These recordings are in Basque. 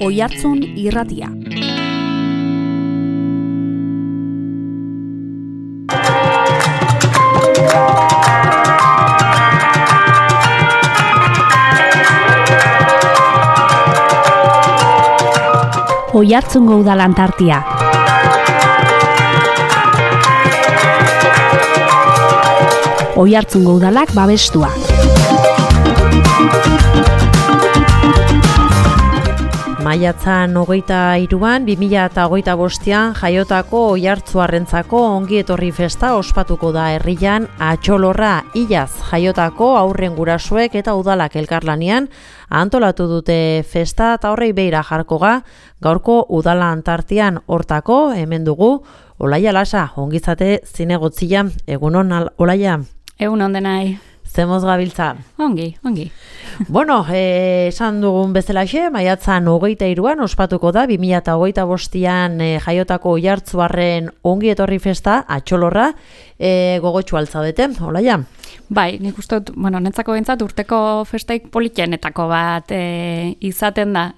Oihartzun irratia. Oihartzungo Udal Antartia. Oihartzungo Udalak babestua. Maiatzan 23an 2025an jaiotako Oihartzuarrentzako ongi etorri festa ospatuko da herrian Atxolorra Ilaz jaiotako aurren gurasoek eta udalak elkarlanean antolatu dute festa eta horrei beira jarko gaurko Udala Antartian hortako hemen dugu Olaia Lasa, ongizate zinegotzia, egunon Olaia? Egunon denai. Zemoz gabiltza? Ongi. Bueno, esan dugun bezalaxe, maiatzan 23an ospatuko da, 2025an jaiotako Oihartzuarren ongi etorri festa, Atxolorra, gogotxu altzaudete, Olaia? Bai, nik uste dut, netzako bentsat urteko festaik politxenetako bat izaten da,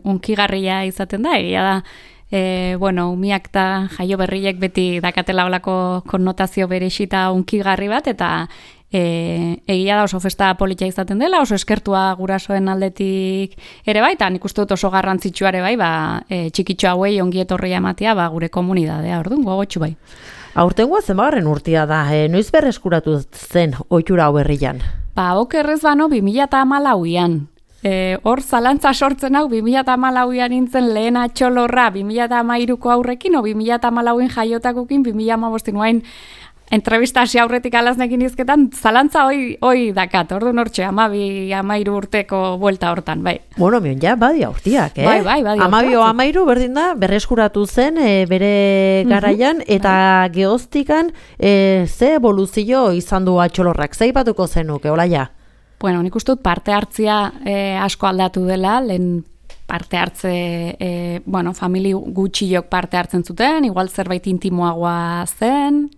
unkigarria izaten da, egia da, umiak eta jaio berriek beti dakatela olako konnotazio berexita unkigarri bat, eta egia da oso festa politia izaten dela, oso eskertua gurasoen aldetik ere bai, eta nik uste dut oso garrantzitsua ere bai, txikitxo hauei ongi etorria ematea bure komunidadea, orduan gogotxu bai. Aurtengoa zenbagarren urtea da, noiz berreskuratu zen ohitura hau herrian? Okerrez bano 2014an. Hor zalantza sortzen hau 2014an nintzen lehen Atxolorra 2013ko aurrekin o 2014en jaiotakokin 2015 nuain entrevistasi aurretik alaznekin izketan zalantza hoi dakat, orduan hortxe 12-13 urteko buelta hortan, bai. Bueno, mion ja, badia urtiak, Bai, badia urtiak. 12-13 berdin da, berreskuratu zen bere garaian, eta gehoztikan ze evoluzio izan du Atxolorrak, ze ipatuko zenuke, Olaia? Bueno, nik uste dut parte hartzia asko aldatu dela, lehen parte hartze, famili gutxiok parte hartzen zuten, igual zerbait intimoagoa zen,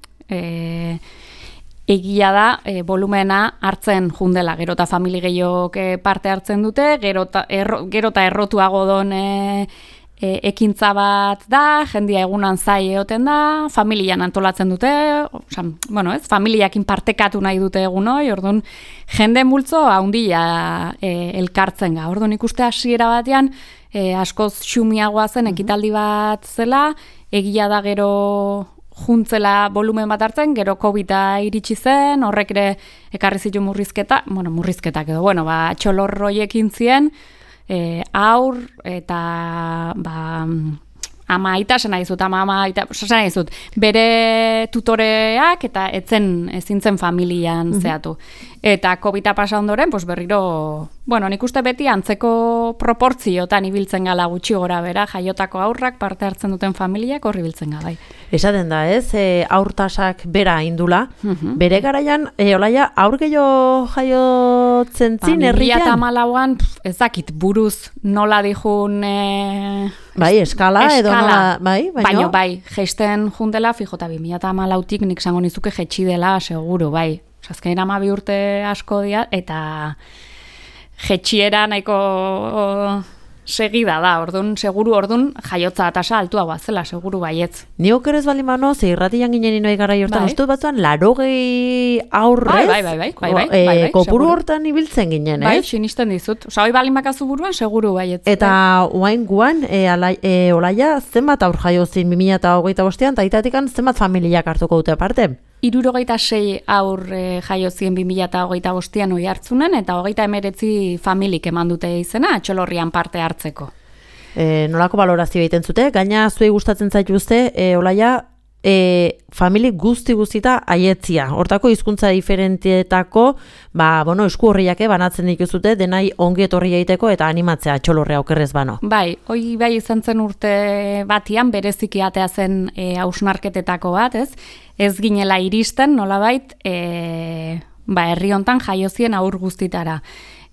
egia da, volumena hartzen jundela, gero eta famili gehiok parte hartzen dute, gero eta errotuago don ekintza bat da, jendia egunan zai egoten da, familian antolatzen dute, familiakin partekatu nahi dute egun hoi, orduan jende multzo handia elkartzen ga. Orduan ikuste hasiera batean askoz xumiagoa zen ekitaldi bat zela, egia da gero juntzela volumen bat hartzen, gero COVID-a iritsi zen, horrek ere ekarri zitu murrizketak edo, Atxolorroiekin zien, aur eta ama aita esan nahi zut, bere tutoreak eta ezin zen familian zehatu. Eta COVID-a pasa ondoren, berriro, nik uste beti antzeko proportziotan ibiltzen gala gutxi gora bera, jaiotako aurrak parte hartzen duten familiak horri biltzen gala. Esaten da ez, aurtasak bera indula, bere garaian, Olaia, aur gehiago jaiotzen zin herrian? 2014an, ez dakit buruz nola dijun... eskala edo nola, baino bai, geisten jundela, fijota 2014tik nik zango nizuke jetxi dela, seguru, bai. Azkenean 12 urte asko dira, eta jetxiera nahiko segida da, seguru jaiotza tasa altuagoa zela, seguru baietz. Ni okerez baldin bano, ze irratian ginen inoi gara jortan, ustut batzuan 80 aurrez, bai, kopuru hortan ibiltzen ginen, ez? Bai, sinisten dizut. Hoi baldin bakazu buruan, seguru baietz. Eta oain guan, Olaia, zenbat aur jaiozin 2025an, eta itatikan zenbat familiak hartuko dute aparte? 76 aur jaiozien 2025an Oihartzunen, eta 39 familik eman dute izena, Atxolorrian parte hartzeko. Nolako balorazio egiten zute? Gaina zuei gustatzen zaituzte, Olaia, famili guzti-guztita aietzia. Hortako hizkuntza diferentietako, esku horriak banatzen dituzute, denai ongi etorri egiteko eta animatzea Atxolorrea okerrez bano. Bai, hoi bai izan zen urte batian, bereziki atea zen hausnarketetako bat, ez? Ez ginela iristen, nolabait, herri hontan jaiozien aur guztitara.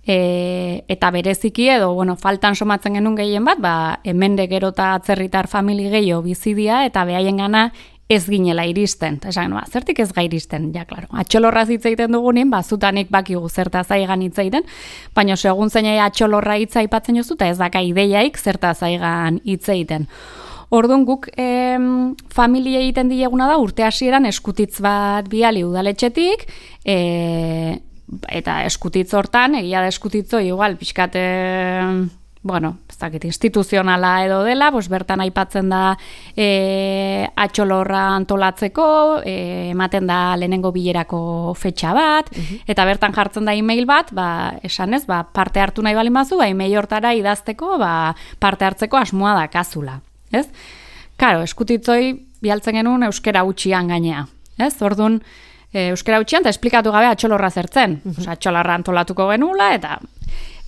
Eta bereziki edo, faltan somatzen genuen gehien bat, hemen de gero eta atzerritar famili gehiago bizidia, eta behaien gana ez ginela iristen. Esan, zertik ez ga iristen? Ja, klaro. Atxolorraz hitz egiten dugunin, zutanik bakigu zertaz aigan hitz egiten, baina segun zeinai atxolorra hitza aipatzen jozu, eta ez daka ideiaik zertaz aigan hitz egiten. Orduan guk familia egiten dieguna da urte hasieran eskutitz bat bidali udaletxetik, eta eskutitz hortan, egia da eskutitzo, igual, pixkat, instituzionala edo dela, bertan aipatzen da atxolorra antolatzeko, ematen da lehenengo bilerako fetxa bat, eta bertan jartzen da e-mail bat, esan ez, parte hartu nahi bali mazu, e-mail hortara idazteko, parte hartzeko asmoa da kazula. Ez? Karo, eskutitzoi bialtzen genuen euskera utxian gainea. Ez? Orduan, euskera utxian, eta esplikatu gabe atxolorra zertzen. Atxolorra antolatuko genula,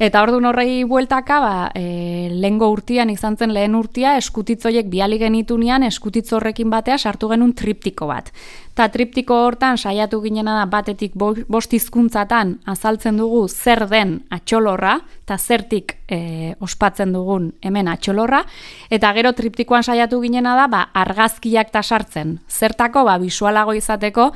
eta orduan horrei bueltaka, lehengo urtean izan zen lehen urtea, eskutitzoiek biali genitunean, eskutitzo horrekin batea sartu genuen triptiko bat. Eta triptiko hortan saiatu ginena da batetik 5 hizkuntzatan azaltzen dugu zer den atxolorra, eta zertik ospatzen dugun hemen atxolorra, eta gero triptikoan saiatu ginena da argazkiak ta sartzen. Zertako bisualago izateko,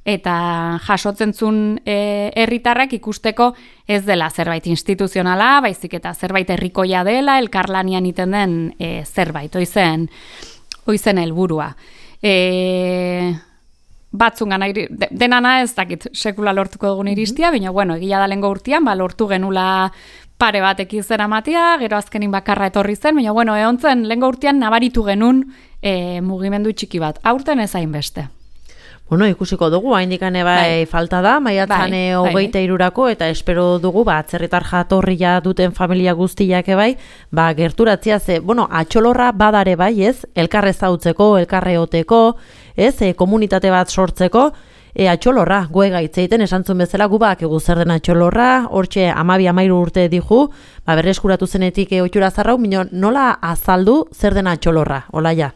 eta jasotzen zuen herritarrak ikusteko ez dela zerbait instituzionala, baizik eta zerbait herrikoia dela, elkarlanian iten den zerbait, oizen helburua. Batzungan, denana ez dakit sekula lortuko dugun iristia, baina egia da lehengo urtean, lortu genula pare batek izera matia, gero azkenin bakarra etorri zen, baina egontzen lehengo urtean nabaritu genuen mugimendu txiki bat, aurten ez hainbeste. Ikusiko dugu, haindikane falta da, maiatzan 23rako, eta espero dugu, atzerritar jatorria duten familia guztiak gerturatzia ze, atxolorra badare ez, elkarre zautzeko, elkarre oteko, ez, komunitate bat sortzeko, atxolorra, goe gaitzeiten, esantzun bezala, gu egu zer den atxolorra, hortxe 12-13 urte dihu, berreskuratu zenetik oitura zarrau, nola azaldu zer den atxolorra, Olaia?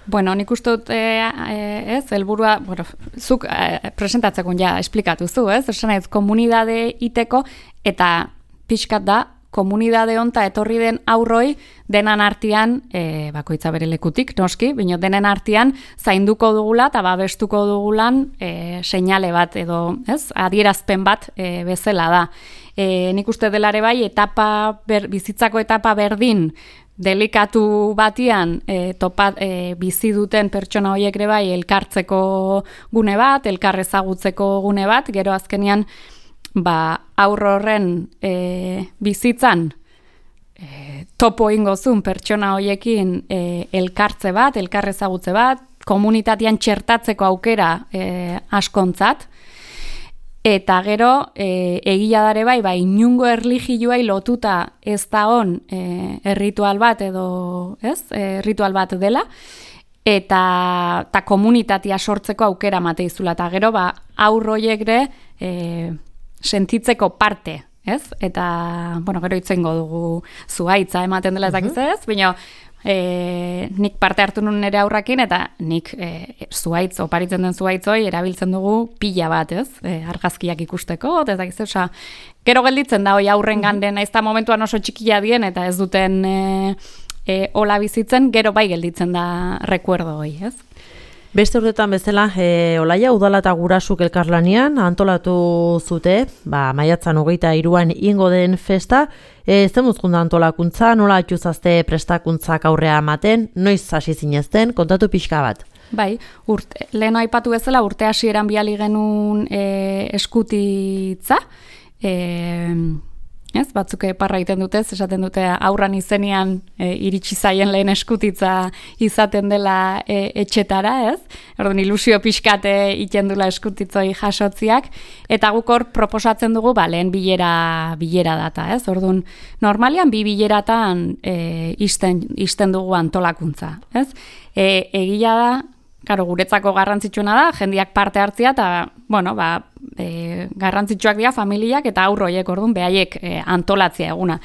Nik uste dut, helburua, zuk presentatzeko esplikatu zu, esan ez, komunidade iteko, eta pixkat da, komunidade honta etorri den aurroi, denan artean, bakoitza bere lekutik, noski, bino denen artean, zainduko dugula, eta babestuko dugulan, seinale bat, edo, adierazpen bat bezala da. Nik uste delare bizitzako etapa berdin, delikatu batian bizi duten pertsona horiek ere elkartzeko gune bat, elkar ezagutzeko gune bat, gero azkenean aurro horren bizitzan topo ingozun pertsona horiekin elkartze bat, elkar ezagutze bat, komunitatean txertatzeko aukera askontzat, eta gero, egia dare inungo erlijioai lotuta ez da hon ritual bat edo, ritual bat dela, eta komunitatea sortzeko aukera mateizula, eta gero, aurroiek ere sentitzeko parte, eta, gero itzengo dugu zuhaitza ematen dela ezak ez, baina, nik parte hartu nun nire aurrakin, eta nik zuhaitz, oparitzen den zuhaitzoi, erabiltzen dugu pila bat, argazkiak ikusteko, eta gero gelditzen da, aurren ganden, ez da momentuan oso txikia dien, eta ez duten hola bizitzen, gero gelditzen da rekuerdo hoi, Beste urtetan bezala, Olaia, udala eta gurasuk elkarlanian antolatu zute, maiatzan 23an ingo den festa, zemuzkunda antolakuntza, nola atxuzazte prestakuntzak aurrea ematen, noiz hasi zinezten, kontatu pixka bat. Lehen aipatu bezala, urte hasieran bidali genuen eskutitza, batzuk parra egiten dute, esaten dute aurran izenean iritsi zaien lehen eskutitza izaten dela etxetara, Orduan ilusio pixkate iten dula eskutitzoi jasotziak, eta guk hor proposatzen dugu lehen bilera data, Orduan normalian 2 bileratan isten dugu antolakuntza, Egia da, guretzako garrantzitsuena da, jendiak parte hartzia, eta, garrantzitsuak dira familiak eta aurroiek, orduan, behaiek antolatzia eguna.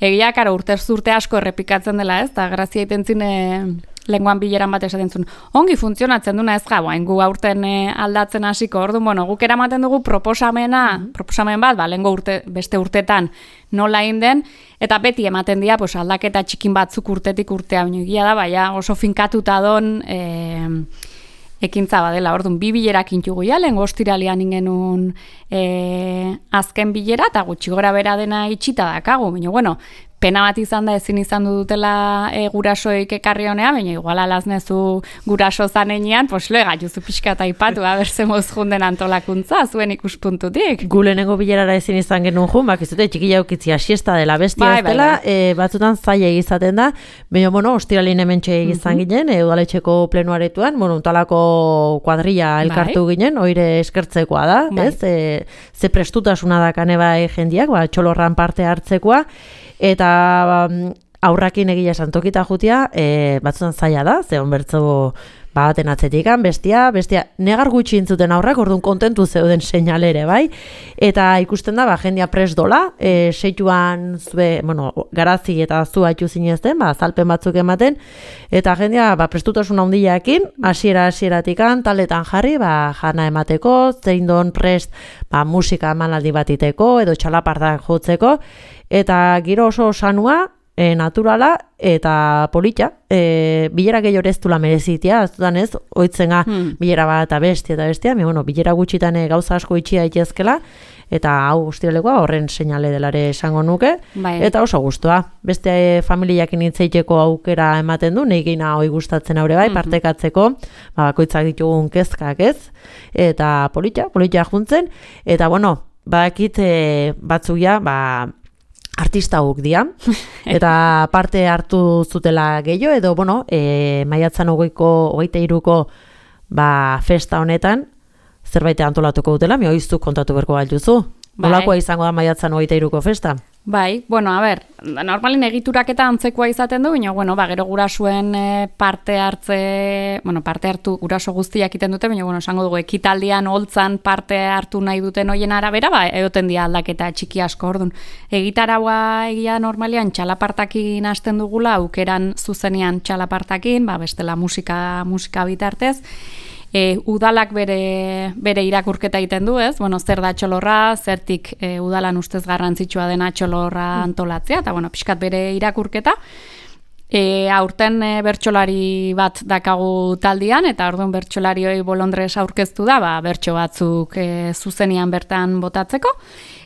Egia, urtez urte asko errepikatzen dela, eta grazia itentzin lenguan bileran bat esaten zuen. Ongi funtzionatzen duna ez hain gu aurten aldatzen hasiko, orduan, guk eramaten dugu proposamen bat, lehengo beste urtetan nola inden, eta beti ematen dira aldaketa txikin batzuk urtetik urtea, egia da, oso finkatuta don ekintza badela. Orduan, 2 bilerak intugu ja, lehen ostiralean ingenun azken bilera, eta gutxi gora bera dena itxita dakagu. Baina, bueno, pena bat izan da ezin izan dutela gurasoik ekarri honea, baina igual alaznezu guraso zanenean, pues lo egaiuzu pixka eta ipatu, berzemoz junden antolakuntza, zuen ikuspuntutik. Gu lehenengo bilerara ezin izan genuen jun, bakizute txikila ukitzia siesta dela, bestia ez dela, batzutan zaila izaten da, baina, bueno, ostiralin hementxe izan ginen, udaletxeko plenuaretuan, bueno, untalako kuadrilla elkartu ginen, oire eskertzekoa da, ez? Ze prestutasuna da kane bai jendiak, txolorran parte hartzekoa, eta aurrakin egia esan tokita jutia, batzutan zaila da, ze honbertzo baten atzetikan, bestia negar gutxi intzuten aurrak, orduan kontentu zeuden seinalere, bai? Eta ikusten da, jendia prest dola, seituan zue, bueno, garazi eta zu haitu zinezten, zalpen batzuk ematen, eta jendia prestutasun handiakin, hasiera-hasieratikan, taletan jarri, jana emateko, zein don prest musika emanaldi batiteko, edo txalapartak jotzeko, eta giro oso sanua, naturala eta polita, bilera gehiago ez dula merezitia, azutan ez, oitzena bilera bat eta bestia, bueno, bilera gutxitan gauza asko itxia itezkela, eta hau ostiralekoa horren seinale delare esango nuke, eta oso gustua. Beste familiakin hitzeiteko aukera ematen du, nahi gina hoi gustatzen aurre bai, partekatzeko, bakoitzak ditugun kezkak ez, eta polita juntzen, eta bueno, bakit batzuia, artista guk dia, eta parte hartu zutela gehiago, edo, bueno, maiatzan 23ko festa honetan, zerbait antolatuko dutela, mi hoiztu kontatu berko galduzu. Nolakoa izango da maiatzan 23ko festa? Bai, bueno, normalin egituraketa antzekoa izaten du, baina, bueno, gero gurasuen parte hartu guraso guztiak iten dute, baina, bueno, esango dugu, ekitaldian holtzan parte hartu nahi duten hoien arabera, egoten dia aldaketa txiki asko, orduan. Egitaraua egia normalian txalapartakin hasten dugula, aukeran zuzenean txalapartakin, bestela musika bitartez, udalak bere irakurketa egiten du, ez? Bueno, zer da txolorra, zertik udalan ustez garrantzitsua dena txolorra antolatzea, eta bueno, pixkat bere irakurketa. Aurten bertsolari bat dakagu taldean, eta orduan bertsolarioi bolondrez aurkeztu da, bertso batzuk zuzenian bertan botatzeko.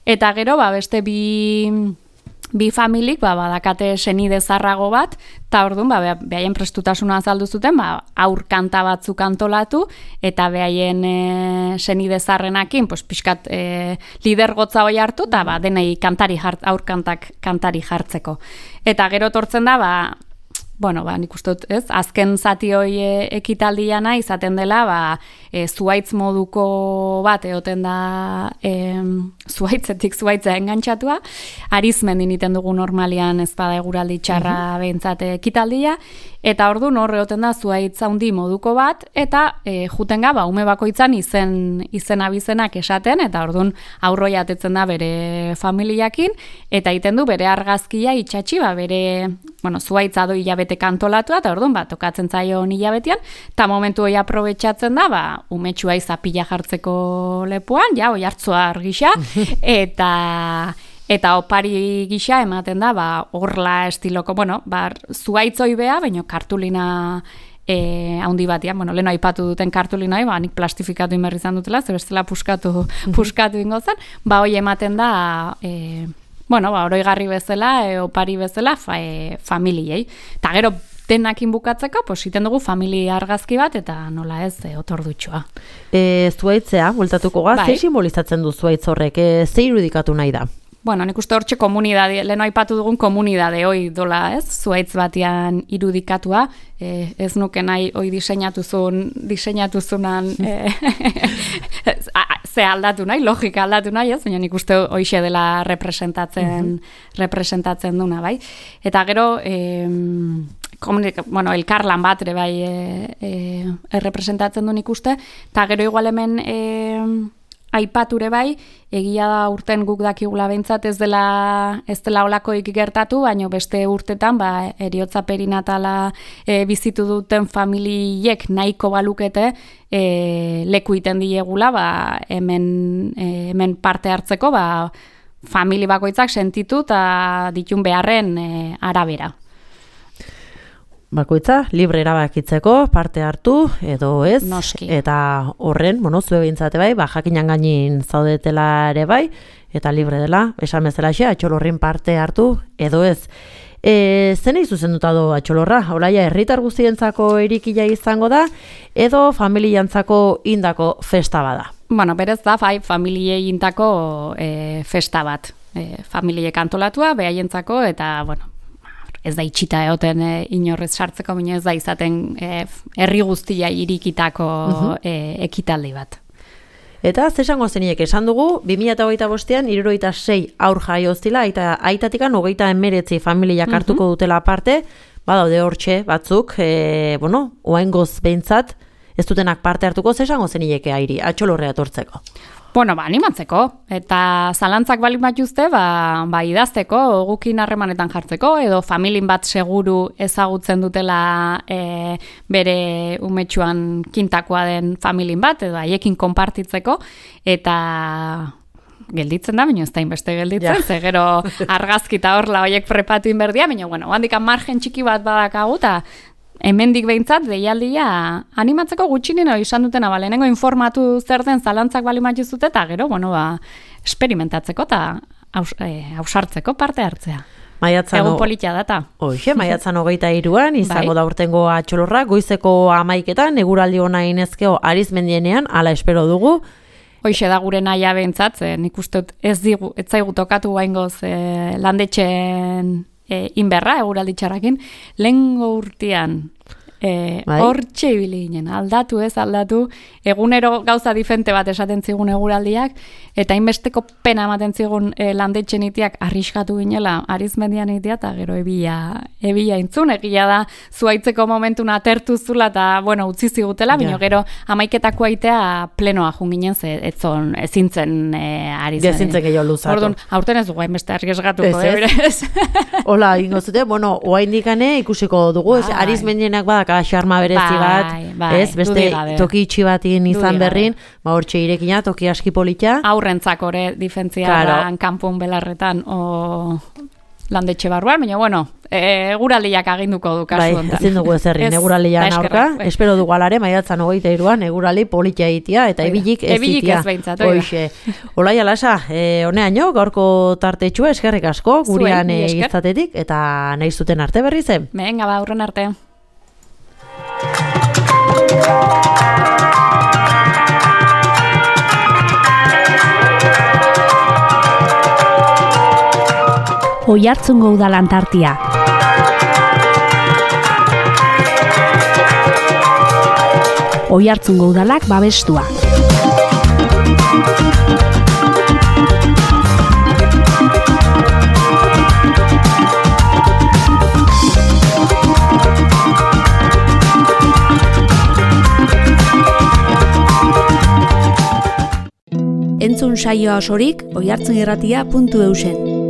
Eta gero, beste bi familik badakate senide zarrago bat, eta orduan behaien prestutasuna azaldu zuten, aur kanta batzuk antolatu, eta behaien senide zarrenakin, pixkat lidergotza hoi hartu, eta denei aur kantak kantari jartzeko. Eta gero tortzen da, bueno, nik uste dut, ez? Azken zati hoi ekitaldiana izaten dela, zuaitz moduko bat egoten da zuaitzetik zuaitzea engantxatua, arizmendin iten dugu normalian ez bada eguraldi txarra behintzat ekitaldia, eta orduan hor egoten da zuaitz handi moduko bat, eta juten ga, ume bakoitzan izen abizenak esaten, eta orduan aurroi atetzen da bere familiakin, eta iten du bere argazkia itxatxi, bere, bueno, zuaitza doi hilabete kantolatua, eta orduan, tokatzen zaio hilabetean, eta momentu hori aprobetxatzen da, umetxua izapila jartzeko lepuan, oi hartzua argisa, eta opari gisa ematen da, orla estiloko, bueno, zuaitzoi beha, baina kartulina haundi batian, bueno, leheno aipatu duten kartulina, nik plastifikatu inberri izan dutela, ze bestela puskatu ingo zen, hoi ematen da, bueno, oroigarri bezala, opari bezala, familiei. Eta gero, denakin bukatzeko, iten dugu familia argazki bat, eta nola ez, otordutxoa. Zuaitzea, bueltatuko gaz, ze simbolizatzen du zuaitz horrek, ze irudikatu nahi da? Bueno, nik uste hortxe komunidade, leheno aipatu dugun komunidade hoi dola, ez? Zuaitz batean irudikatua, ez nuke nahi hoi diseinatuzunan ze aldatu nahi, logika aldatu nahi, ez? Baina nik uste hoixe dela representatzen duna, bai? Eta gero, bueno, elkarlan bat ere bai representatzen du nik uste, eta gero igual hemen aipature bai, egia da urten guk dakigula behintzat ez dela olakoik gertatu, baina beste urtetan eriotza perinatala bizitu duten familiek nahiko balukete leku iten diegula hemen parte hartzeko famili bakoitzak sentitu eta ditun beharren arabera. bakoitza libre erabakitzeko parte hartu edo ez. Noski. Eta horren, zue behintzate bai, jakinan gainin zaudetela ere bai, eta libre dela, esan bezalaxe, Atxolorrin parte hartu edo ez. Zenei zuzenduta do Atxolorra? Olaia herritar guztientzako erikila izango da, edo familiantzako indako festa bada? Bueno, berez da, familiei intako festa bat. Familiek antolatua, behaientzako, eta, bueno, ez da itxita egoten inorrez sartzeko, baina ez da izaten herri guztia irikitako ekitaldi bat. Eta zesango zeniek esan dugu, 2025an 76 aur jaio zila, eta aitatikan 39 familiak hartuko dutela parte, badaude hortxe batzuk, oaingoz behintzat, ez dutenak parte hartuko, zesango zenieke Airi, Atxolorrea etortzeko. Bueno, animatzeko, eta zalantzak balik bat juzte, idazteko, gukin harremanetan jartzeko, edo familin bat seguru ezagutzen dutela bere umetxuan kintakoa den familin bat, edo haiekin konpartitzeko, eta gelditzen da, baina ez da inbeste gelditzen, ze gero argazkita horla horiek prepatu inberdia, baina, handikan margen txiki bat badakagu, eta hemendik behintzat, deialdia animatzeko gutxinino izan dutena, lehenengo informatu zer den zalantzak bali matizute, eta gero, experimentatzeko eta ausartzeko parte hartzea. Egun politia data. Hoxe, maiatzan 23an, izango da urtengo Atxolorra, goizeko 11etan, eguraldi ona inezkeo Arizmendienean, ala espero dugu. Hoxe da gure naia behintzat, nik uste ez zaigu tokatu baingoz landetxeen inberra, eguraldi txarrakin, lehengo urtean hortxe ibili ginen, aldatu, egunero gauza difente bat esaten zigun eguraldiak, eta inbesteko pena ematen zigun landetxen itiak arriskatu ginela, Arizmendian itia, eta gero ebila intzun, egia da, zuaitzeko momentuna atertu zula, eta, utzi zigutela, bino gero amaiketako aitea plenoa junginen, ezintzen Arizmendian. Ezintzen gehiago luzatu. Orduan, aurten ez dugu, hainbeste arriskatuko, ez? Hola, ingo zute, oa indikane ikusiko dugu, Arizmendienak badak xarma berezi bat, ez, beste toki itxi batin izan berrin, hortxe irekina, toki aski polita. Aurrentzak ore difentziaran, kanpun belarretan, landetxe barruan, baina, eguraldiak aginduko du kasu honetan. Ezin dugu ezerrin, eguraldian aurka, espero dugu alare, maiatzan 23an, eguraldi politia itia, eta ebilik ez itia. Ebilik ez behintzat, oida. Olaia lasa, honeaino, gaurko tartetxua, eskerrik asko, gurean izatetik, eta nahi zuten arte berri zen. Venga, aurren arte. Oiartzungo udalantartia. Oiartzungo udalak babestua. Entzun saioa osorik oiartzunirratia.eusen.